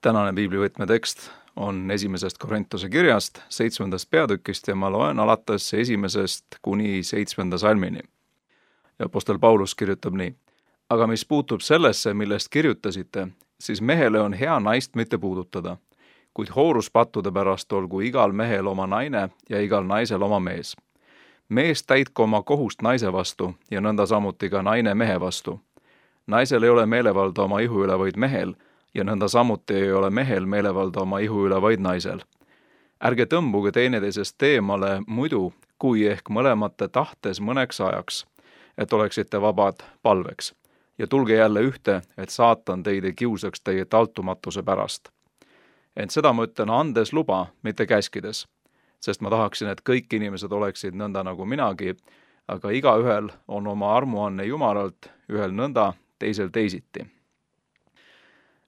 Tänane piiblivõtme tekst on 1. Korintuse kirjast, 7. peatükist ja ma loen alates 1. kuni 7. salmini. Ja apostel Paulus kirjutab nii. Aga mis puutub sellesse, millest kirjutasite, siis mehele on hea naist mitte puudutada, kuid hooruspattude pärast olgu igal mehel oma naine ja igal naisel oma mees. Mees täitku oma kohust naise vastu ja nõnda samuti ka naine mehe vastu. Naisel ei ole meelevalda oma ihu üle, vaid mehel, ja nõnda samuti ei ole mehel meelevalda oma ihu üle, vaid naisel. Ärge tõmbuge teineteisest eemale muidu, kui ehk mõlemate tahtes mõneks ajaks, et oleksite vabad palveks. Ja tulge jälle ühte, et saatan teid ei kiusaks teie taltumatuse pärast. Ent seda ma ütlen andes luba, mitte käskides, sest ma tahaksin, et kõik inimesed oleksid nõnda nagu minagi, aga igaühel on oma armuanne Jumalalt, ühel nõnda, teisel teisiti.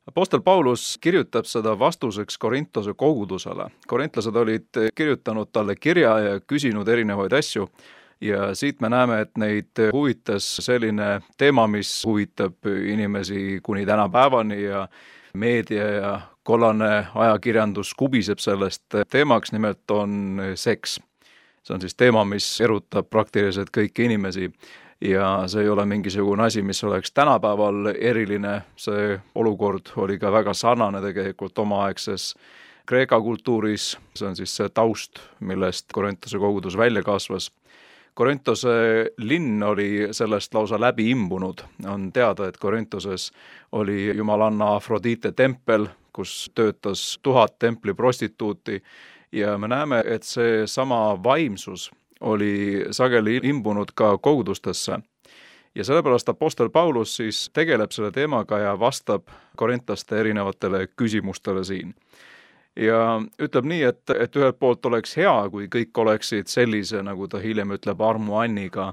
Apostel Paulus kirjutab seda vastuseks Korintuse kogudusele. Korintlased olid kirjutanud talle kirja ja küsinud erinevaid asju ja siit me näeme, et neid huvitas selline teema, mis huvitab inimesi kuni tänapäevani ja meedia ja kollane ajakirjandus kubiseb sellest teemaks, nimelt on seks. See on siis teema, mis erutab praktiliselt kõiki inimesi. Ja see ei ole mingisugune asi, mis oleks tänapäeval eriline, see olukord oli ka väga sarnane tegelikult omaaegses Kreeka kultuuris, see on siis see taust, millest Korintuse kogudus välja kasvas. Korintuse linn oli sellest lausa läbi imbunud, on teada, et Korintuses oli jumalanna Afrodite tempel, kus töötas 1000 templi prostituuti ja me näeme, et see sama vaimsus oli sageli imbunud ka kogudustesse. Ja sellepärast apostel Paulus siis tegeleb selle teemaga ja vastab korintlaste erinevatele küsimustele siin. Ja ütleb nii, et ühelt poolt oleks hea, kui kõik oleksid sellise, nagu ta hiljem ütleb, armuanniga,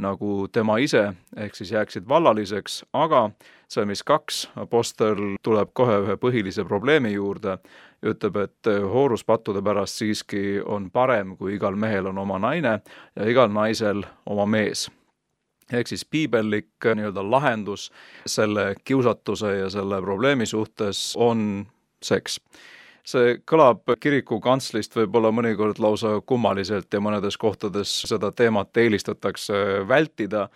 nagu tema ise, ehk siis jääksid vallaliseks, aga salmis 2 apostel tuleb kohe ühe põhilise probleemi juurde, ütleb, et hooruspattude pärast siiski on parem, kui igal mehel on oma naine ja igal naisel oma mees. Ehk siis piibellik lahendus selle kiusatuse ja selle probleemi suhtes on seks. See kõlab kiriku kantslist võib-olla mõnikord lausa kummaliselt ja mõnedes kohtades seda teemat eelistatakse vältida,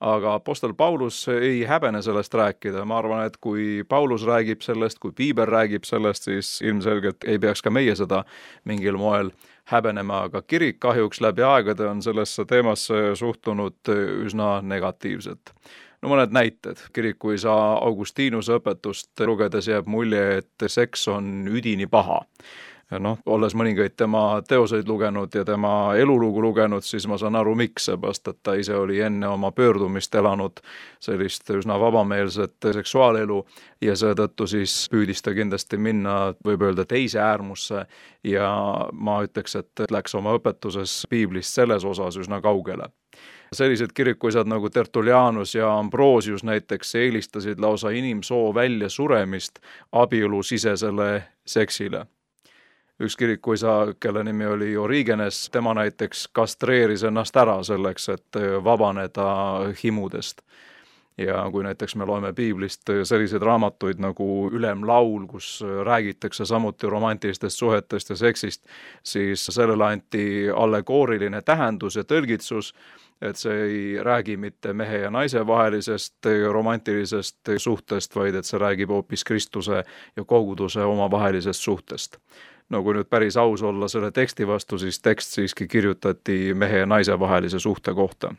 aga apostel Paulus ei häbene sellest rääkida. Ma arvan, et kui Paulus räägib sellest, kui piibel räägib sellest, siis ilmselgelt ei peaks ka meie seda mingil moel häbenema, aga kirik kahjuks läbi aegade on sellesse teemasse suhtunud üsna negatiivselt. No mõned näited. Kirikuisa Augustinuse õpetust lugedes jääb mulje, et seks on üdini paha. Olles mõningaid tema teoseid lugenud ja tema elulugu lugenud, siis ma saan aru, miks, seepärast, et ta ise oli enne oma pöördumist elanud sellist üsna vabameelset seksuaalelu ja seetõttu siis püüdis ta kindlasti minna, võib öelda, teise äärmusse ja ma ütleks, et läks oma õpetuses piiblist selles osas üsna kaugele. Sellised kirikuisad nagu Tertullianus ja Ambrosius näiteks eelistasid lausa inimsoo välja suremist abielusisesele seksile. Üks kirikuisa, kelle nimi oli Origenes, tema näiteks kastreeris ennast ära selleks, et vabaneda himudest. Ja kui näiteks me loeme piiblist selliseid raamatuid nagu Ülemlaul, kus räägitakse samuti romantilistest suhetest ja seksist, siis sellele anti allegooriline tähendus ja tõlgitsus, et see ei räägi mitte mehe ja naise vahelisest romantilisest suhtest, vaid et see räägib hoopis Kristuse ja koguduse omavahelisest suhtest. No kui nüüd päris aus olla selle teksti vastu, siis tekst siiski kirjutati mehe ja naise vahelise suhte kohta.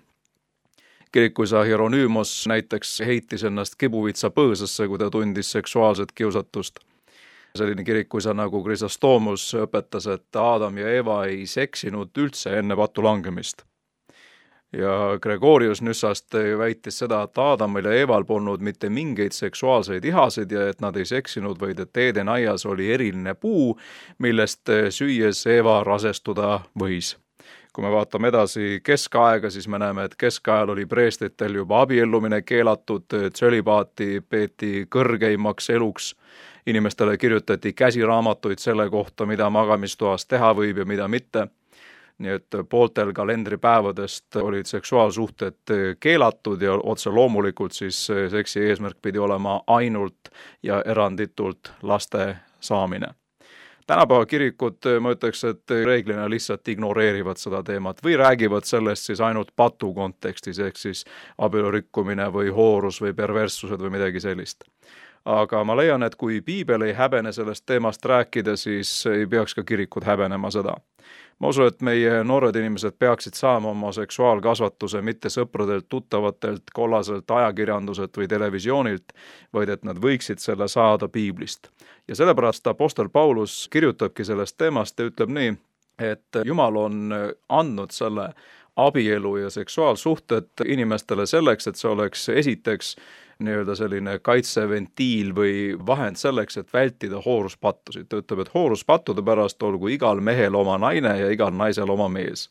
Kirikuisa Hieronymos näiteks heitis ennast kibuvitsa põõsasse, kui ta tundis seksuaalset kiusatust. Selline kirikuisa nagu Chrysostomus õpetas, et Aadam ja Eva ei seksinud üldse enne patu langemist. Ja Gregorius Nyssast väitis seda, et Aadamil ja Eval polnud mitte mingeid seksuaalseid ihasid ja et nad ei seksinud, vaid et Eeden aias oli eriline puu, millest süües Eva rasestuda võis. Kui me vaatame edasi keskaega, siis me näeme, et keskajal oli preestritel juba abiellumine keelatud, tsölibaati peeti kõrgeimaks eluks. Inimestele kirjutati käsiraamatuid selle kohta, mida magamistoas teha võib ja mida mitte. Nii et pooltel kalendripäevadest olid seksuaalsuhted keelatud ja otse loomulikult siis seksi eesmärk pidi olema ainult ja eranditult laste saamine. Tänapäeva kirikud, ma ütleks, et reeglina lihtsalt ignoreerivad seda teemat või räägivad sellest siis ainult patu kontekstis, ehk siis abielu rikkumine või hoorus või perverssused või midagi sellist. Aga ma leian, et kui piibel ei häbene sellest teemast rääkida, siis ei peaks ka kirikud häbenema seda. Ma usun, et meie noored inimesed peaksid saama oma seksuaalkasvatuse mitte sõpradelt, tuttavatelt, kollaselt ajakirjanduselt või televisioonilt, vaid et nad võiksid selle saada piiblist. Ja sellepärast Apostel Paulus kirjutabki sellest teemast ja ütleb nii, et Jumal on andnud selle abielu ja seksuaalsuhted inimestele selleks, et see oleks esiteks nii-öelda selline kaitseventiil või vahend selleks, et vältida hooruspattusid. Ta ütleb, et hooruspattude pärast olgu igal mehel oma naine ja igal naisel oma mees.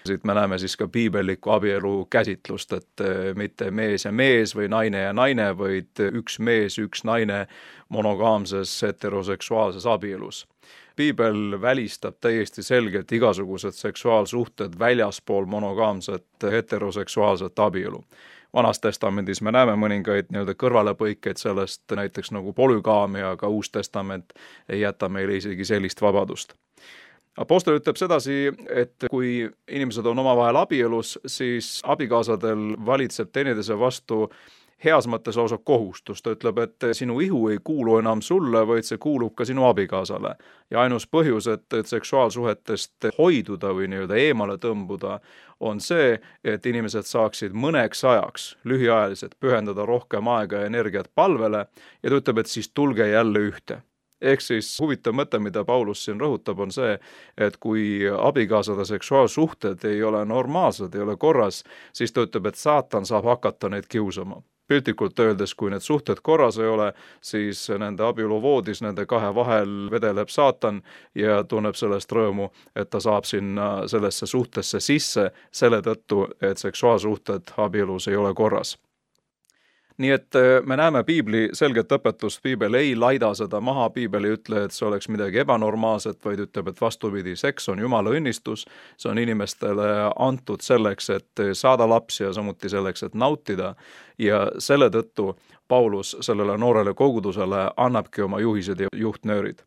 Siit me näeme siis ka piibellikku abielu käsitlust, et mitte mees ja mees või naine ja naine, vaid üks mees, üks naine monogaamses heteroseksuaalses abielus. Piibel välistab täiesti selgelt igasugused seksuaalsuhted väljaspool monogaamset heteroseksuaalset abielu. Vanas testamendis me näeme mõningaid nii-öelda kõrvalepõikeid sellest, näiteks nagu polügaamia, aga Uus Testament ei jäta meile isegi sellist vabadust. Apostel ütleb sedasi, et kui inimesed on omavahel abielus, siis abikaasadel valitseb teineteise vastu heas mõttes lausa kohustus. Ta ütleb, et sinu ihu ei kuulu enam sulle, vaid see kuulub ka sinu abikaasale. Ja ainus põhjus, et seksuaalsuhetest hoiduda või nii-öelda eemale tõmbuda, on see, et inimesed saaksid mõneks ajaks lühiajaliselt pühendada rohkem aega ja energiat palvele ja ta ütleb, et siis tulge jälle ühte. Ehk siis huvitav mõte, mida Paulus siin rõhutab, on see, et kui abikaasade seksuaalsuhted ei ole normaalsed, ei ole korras, siis ta ütleb, et saatan saab hakata neid kiusama. Piltlikult öeldes, kui need suhted korras ei ole, siis nende abieluvoodis nende kahe vahel vedeleb saatan ja tunneb sellest rõõmu, et ta saab sinna sellesse suhtesse sisse selle tõttu, et seksuaalsuhted abielus ei ole korras. Nii et me näeme piibli selget õpetust, piibel ei laida seda maha, piibel ei ütle, et see oleks midagi ebanormaalset, vaid ütleb, et vastupidi, seks on Jumala õnnistus, see on inimestele antud selleks, et saada lapsi ja samuti selleks, et nautida ja selle tõttu Paulus sellele noorele kogudusele annabki oma juhised ja juhtnöörid.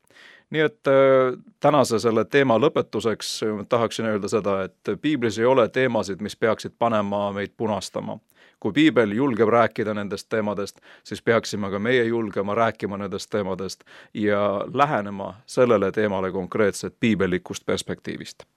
Nii et tänase selle teema lõpetuseks tahaksin öelda seda, et piiblis ei ole teemasid, mis peaksid panema meid punastama. Kui piibel julgeb rääkida nendest teemadest, siis peaksime ka meie julgema rääkima nendest teemadest ja lähenema sellele teemale konkreetselt piibellikust perspektiivist.